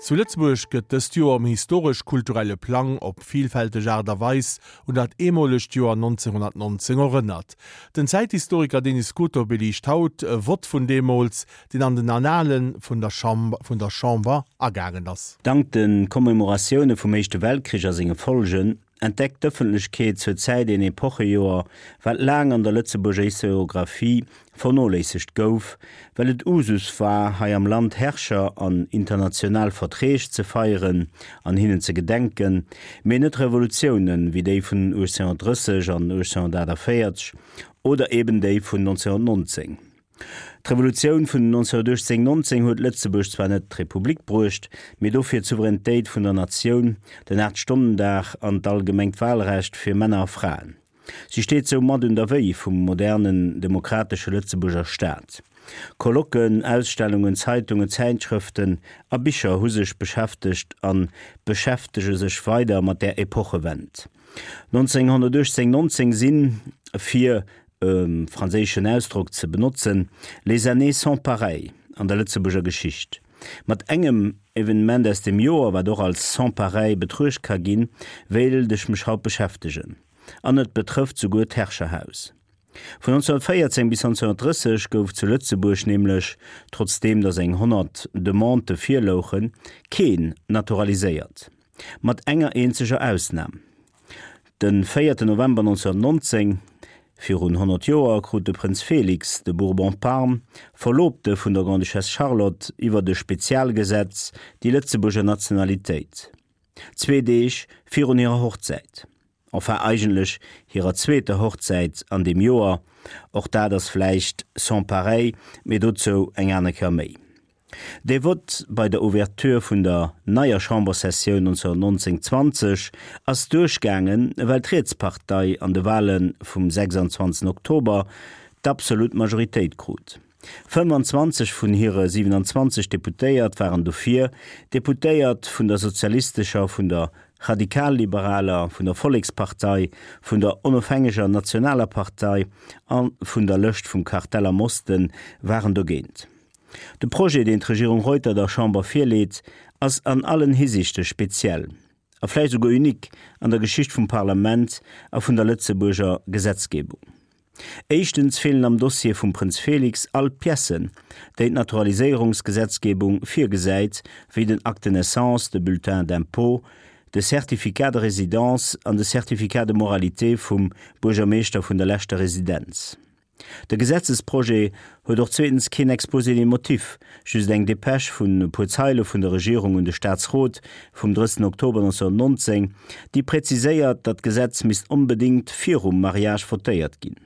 Zu Lëtzebuerg gëtt dëst Joer um historesch-kulturelle Plang op vilfälteg Aart a Weis un dat eemolegt Joer 1919 erënnert. Den Zäithistoriker Denis Scuto beliicht haut e Vott vun deemools, deen an den Annale vun der vun der Chamber agaangen ass. Dank de Commemoratioune vum Éischte Weltkrich a senge Folgen entdeckt d'Ëffentlechkeet zur Zäit een Epochejoer, wat laang an der Lëtzebuerger Historiographie vernoléissegt gouf, well et Usus war, hei am Land Herrscher an international Verträg ze feieren an hinnen ze gedenken, mee net Revolutiounen, wéi déi vun 1830 an 1848 oder eben déi vun 1919. D'Revolutioun vun 1918, 19 huet Lëtzebuerg zwar net d'Republik bruecht, mee dofir d'Souveränitéit vun der Natioun, den Aacht-Stonnen-Dag an d'allgemengt Wahlrecht fir Männer a Fraen. Si steet soumat un der Wéi vum modernen, demokratesche Lëtzebuerger Staat. Colloquen, Ausstellungen, Zeitungen, Zäitschrëften a Bicher hu sech beschäftegt a beschäftege sech weider mat där Epochewend. 1918, 19 sinn, fir e franséischen Ausdrock ze benotzen, les années sans pareil an der Lëtzebuerger Geschicht. Mat engem Evenement aus dem Joer, wat och als sans pareil betruecht ka ginn, wéilt ech mech haut beschäftegen. An et betrëfft souguer d'Herrscherhaus. Vun 1914 bis 1930 gouf zu Lëtzebuerg nämlech, trotzdeem datt eng 100 Demandë virlouchen, keen naturaliséiert. Mat enger eenzeger Ausnam. De véierten November 1919, virun 100 Joer, krut de Prënz Félix de Bourbon-Parme, Verloobte vun der Grande-Duchesse Charlotte, iwwert e Spezialgesetz déi Lëtzebuerger Nationalitéit. Zwee Deeg virun hirer Hochzäit. Enfin, eigentlech hirer zweeter Hochzäit an deem Joer. Och dat ass vläicht sans pareil, mee dozou eng aner Kéier méi. Dee Vott bei der Ouverture vun der neier Chamberssessioun 1919, 20 ass duerchgaangen, well d'Rietspartei an de Wale vum 26 Oktober d'absolut Majoritéit krut. 25 vun hire 27 Deputéiert waren dofir, Deputéiert vun der sozialistescher, vun der radikalliberaler, vun der Vollekspartei, vun der Onofhängeger Nationaler Partei a vun der Lëscht vum Kartell am Osten waren dogéint. De Projet, deen d'Regierung Reuter der Chamber virleet, ass an allen Hisiichte speziell a vläicht esouguer unique an der Geschicht vum Parlament a vun der Lëtzebuerger Gesetzgebung. Éischtens feelen am Dossier vum Prënz Félix all d'Piècen, déi d'Naturaliséierungsgesetzgebung virgesäit, wéi den Acte de naissance, de Bulletin d'impôt, de Certificat de résidence an de Certificat de moralité vum Buergermeeschter vun der leschter Residenz. De Gesetzesprojet huet och zweetens keen Exposé des motifs, just eng Dépêche vun e puer Zeile vun der Regierung un de Staatsrot vum 30 Oktober 1919, déi präziséiert, datt d'Gesetz misst onbedéngt virum Mariage votéiert ginn.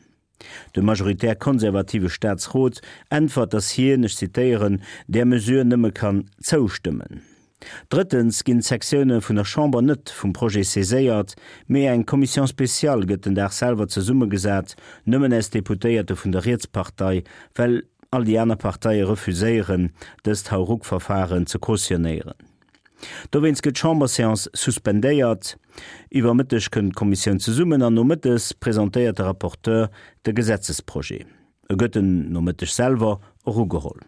De majoritär konservative Staatsrot äntwert, datt hien, ech zitéieren, där Mesure nëmme kann zoustëmmen. Drëttens ginn d'Sektioune vun der Chamber net vum Projet saiséiert, mee eng Commission spéciale gëtt den Dag selwer zesummegesat, nëmmen aus Deputéierte vun der Rietspartei, well all déi aner Parteie refuséieren, dëst Hauruck-Verfaren ze cautionnéieren. Dowéinst gëtt d'Chamberséance suspendéiert. Iwwer Mëtteg kënnt d'Kommissioun zesummen an nomëttes presentéiert de Rapporteur de Gesetzesprojet. E gëtt den Nomëtteg selwer och ugeholl.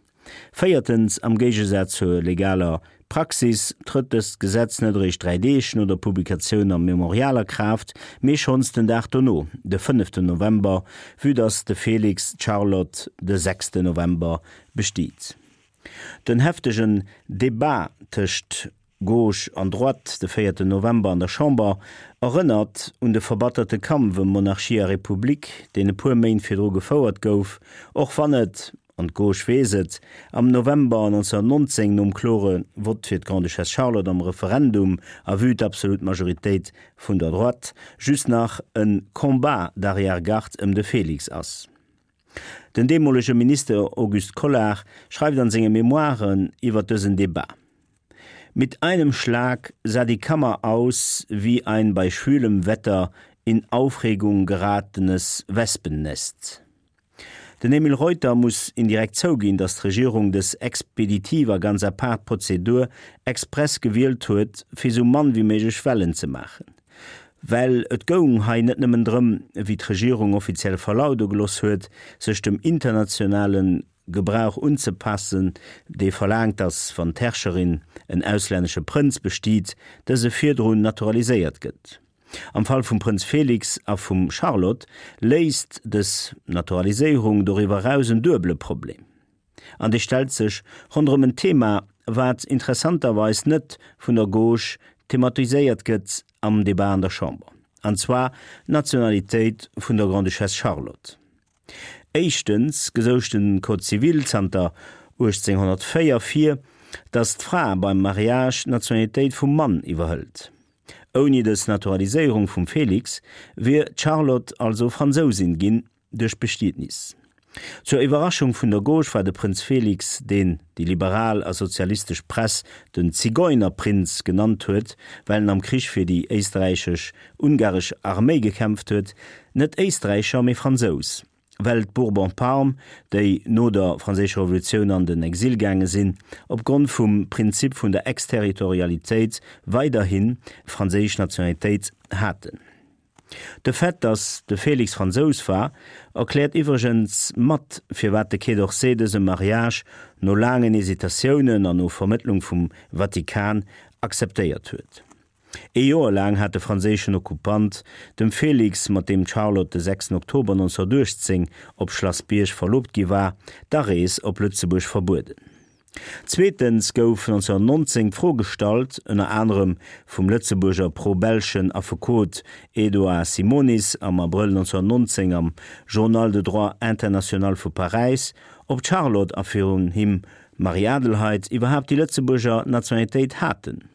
Véiertens, am Géigesaz zur legaler Praxis trëtt dëst Gesetz net eréischt 3 Deeg no der Publikatioun am Memorial a Kraaft, mee schonns den Dag dono, de fënneften November, vue dass de Félix d'Charlotte de sechsten November bestiet. Den heftegen Debat tëscht Gauche an Droite de véierten November an der Chamber erënnert un de verbatterte Kampf ëm Monarchie a Republik, deen e puer Méint virdru gefouert gouf, och wann et, an d'Gauche weess et, am November 1919 nom klore Vott fir d'Grande-Duchesse Charlotte am Referendum a vue d'absolut Majoritéit vun der Droite just nach e Combat d'arrière-garde ëm de Félix ass. Den deemolege Minister Auguste Collard schreift an senge Memoiren iwwer dësen Debat, Mit einem Schlag sah die Kammer aus wie ein bei schwülem Wetter in Aufregung geratenes Wespennest. Den Emile Reuter muss indirekt zouginn, datt d'Regierung dës expeditiv a ganz apaart Prozedur express gewielt huet, fir sou mann wéi méiglech Wellen ze maachen. Well et goung hei net nëmmen drëm, wéi d'Regierung offiziell verlaude gelooss huet, sech dem internationale. Gebrauch unzepassen, dee verlaangt, datt, wann d'Herrscherin en auslännesche Prënz bestiet, dëse virdrun naturaliséiert gëtt. Am Fall vum Prënz Félix a vum Charlotte léist dës Naturaliséierung doriwwer eraus en duebele Problem. An dee stellt sech ronderëm en Thema, wat interessanterweis net vun der Gauche thematiséiert gëtt am Debat an der Chamber, an zwar d'Nationalitéit vun der Grande-Duchesse Charlotte. Éischtens gesouch de Code civil zanter 1804 vir, datt d'Fra beim Mariage d'Nationalitéit vum Mann iwwerhëlt. Ouni dës Naturaliséierung vum Félix wier d'Charlotte also Fransousin ginn duerch Bestietnis. Zur Iwwerraschung vun der Gauche war de Prënz Félix, deen déi liberal a sozialistesch Press den Zigeunerprinz genannt huet, well en am Krich fir déi éisträichesch-ungaresch Arméi gekämpft huet, net Éisträicher, mee Fransous, well d'Bourbon-Parme, déi no der Franséischer Revolutioun an den Exil gaange sinn, opgrond vum Prinzip vun der Exterritorialitéit weiderhi franséisch Nationalitéit haten. De Fait, datt de Félix Fransous war, erkläert iwwregens mat, firwat de Quai d'Orsay dëse Mariage no laangen Hesitatiounen an no Vermëttlung vum Vatikan akzeptéiert huet. Ee Joer laang hat de franséischen Okkupant dem Félix, mat deem d'Charlotte de 6 Oktober 1918 op Schlass Bierg verloobt gi war, d'Arees op Lëtzebuerg verbueden. Zweetens gouf 1919 d'Fro gestallt, ënner anerem vum Lëtzebuerger pro-belschen Affekot Edouard Simonis am Abrëll 1919 am Journal de droit international vu Paräis, ob d'Charlotte a virun him d'Marie-Adelheid iwwerhaapt déi Lëtzebuerger Nationalitéit haten.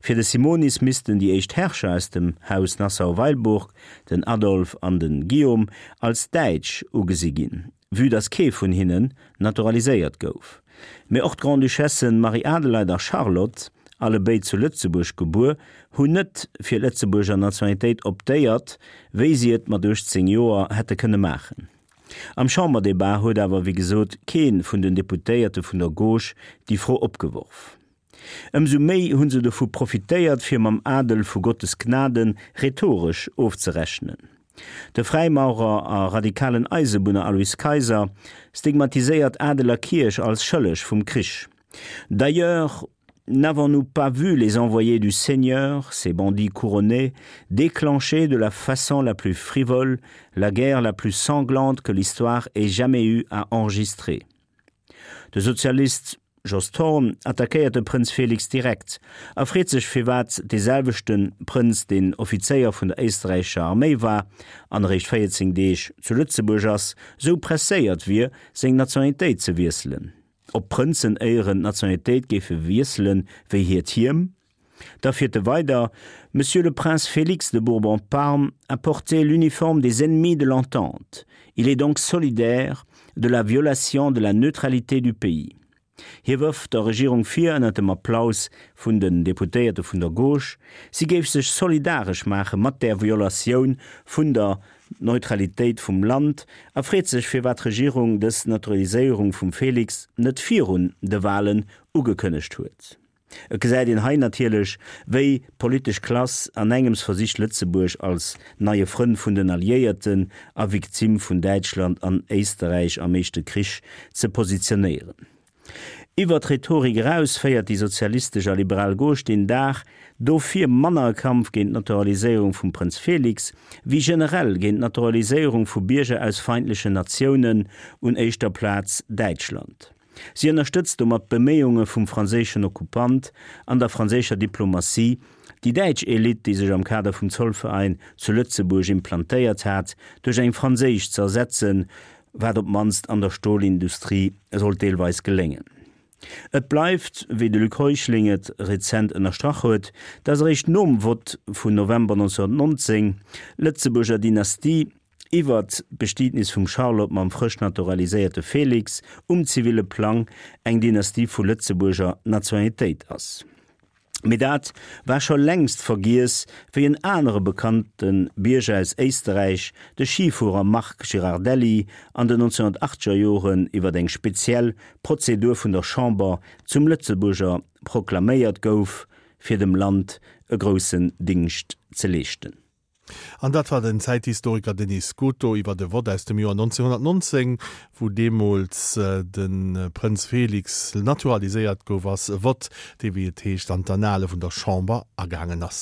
Fir de Simonis missten déi éischt Herrscher aus dem Haus Nassau-Weilburg, den Adolphe an de Guillaume, als Däitsch ugesi ginn, vue datt kee vun hinnen naturaliséiert gouf. Mee och d'Grande-Duchessen Marie-Adelaide a Charlotte, allebéid zu Lëtzebuerg gebuer, hunn net fir d'Lëtzebuerger Nationalitéit optéiert, wéi si et mat 18 Joer hätte kënne maachen. Am Chamberdebat huet awer wéi gesot kee vun den Deputéierte vun der Gauche déi Fro opgeworf. Ëmsou méi hu se dovu profitéiert, fir mam Adel vu Gottes Gnaden rhetoresch ofzerechnen. De Fräimaurer a radikalen Eisebunner Alois Kayser stigmatiséiert Adel a Kierch als schëlleg vum Krich. D'ailleurs, n'avons-nous pas vu les envoyés du Seigneur, ces bandits couronnés, déclencher de la façon la plus frivole la guerre la plus sanglante que l'histoire ait jamais eu à enregistrer? De Sozialist Jos Thorn attackéiert de Prënz Félix direkt a freet sech firwat dee selwechte Prënz, deen Offizéier vun der éisträichescher Arméi war an eréischt 14 Deeg zu Lëtzebuerg ass, sou presséiert wier, seng Nationalitéit ze wiesselen. Ob d'Prënzen éieren d'Nationalitéit géife wiesselen wéi hiert Hiem? Da fiert e weider, Monsieur le prince Félix de Bourbon-Parme a porté l'uniforme des ennemis de l'Entente. Il est donc solidaire de la violation de la neutralité du pays. Hie wërft der Regierung vir, ënner dem Applaus vun den Deputéierte vun der Gauche, si géif sech solidaresch maache mat där Violatioun vun der Neutralitéit vum Land a freet sech, firwat d'Regierung dës Naturaliséierung vum Félix net virun de Walen ugekënnegt huet. Et gesäit een hei natierlech, wéi d'politesch Klass an engems versicht Lëtzebuerg als neie Frënn vun den Alliéierten a Victime vun Däitschland an Éisterräich am éischte Krich ze positionéieren. Iwwer d'Rhetorik eraus féiert déi sozialistesch a liberal Gauche deen Dag dofir manner e Kampf géint d'Naturaliséierung vum Prënz Félix, wéi generell géint d'Naturaliséierung vu Bierger aus feindlechen Natiounen, un éischter Plaz Däitschland. Si ënnerstëtzt domat d'Beméiunge vum franséischen Okkupant an der franséischer Diplomatie, déi däitsch Elite, déi sech am Kader vum Zollverein zu Lëtzebuerg implantéiert hat, duerch eng franséisch ze ersetzen, wat op d'mannst an der Stolindustrie sollt deelweis geléngen. Et bleift, wéi de Luc Heuschling et rezent ënnerstrach huet, datt eréischt nom Vott vun November 1919 d'Lëtzebuerger Dynastie iwwert d'Bestietnis vum Charlotte mam frësch naturaliséierte Félix um ziville Plang eng Dynastie vu Lëtzebuerger Nationalitéit ass. Mee dat war scho längst vergiess, wéi en anere bekannte Bierger aus Éisterräich, de Schifuerer Marc Girardelli, an den 1980er Joren iwwer eng speziell Prozedur vun der Chamber zum Lëtzebuerger proklaméiert gouf, fir dem Land e groussen Dingscht ze leeschten. An dat war den Zäithistoriker Denis Scuto iwwer e Vott aus dem Joer 1919, wou deemools de Prënz Felix naturaliséiert gouf, ass. E Vott, dee wéi et heescht an d'Annale vun der Chamber agaangen ass.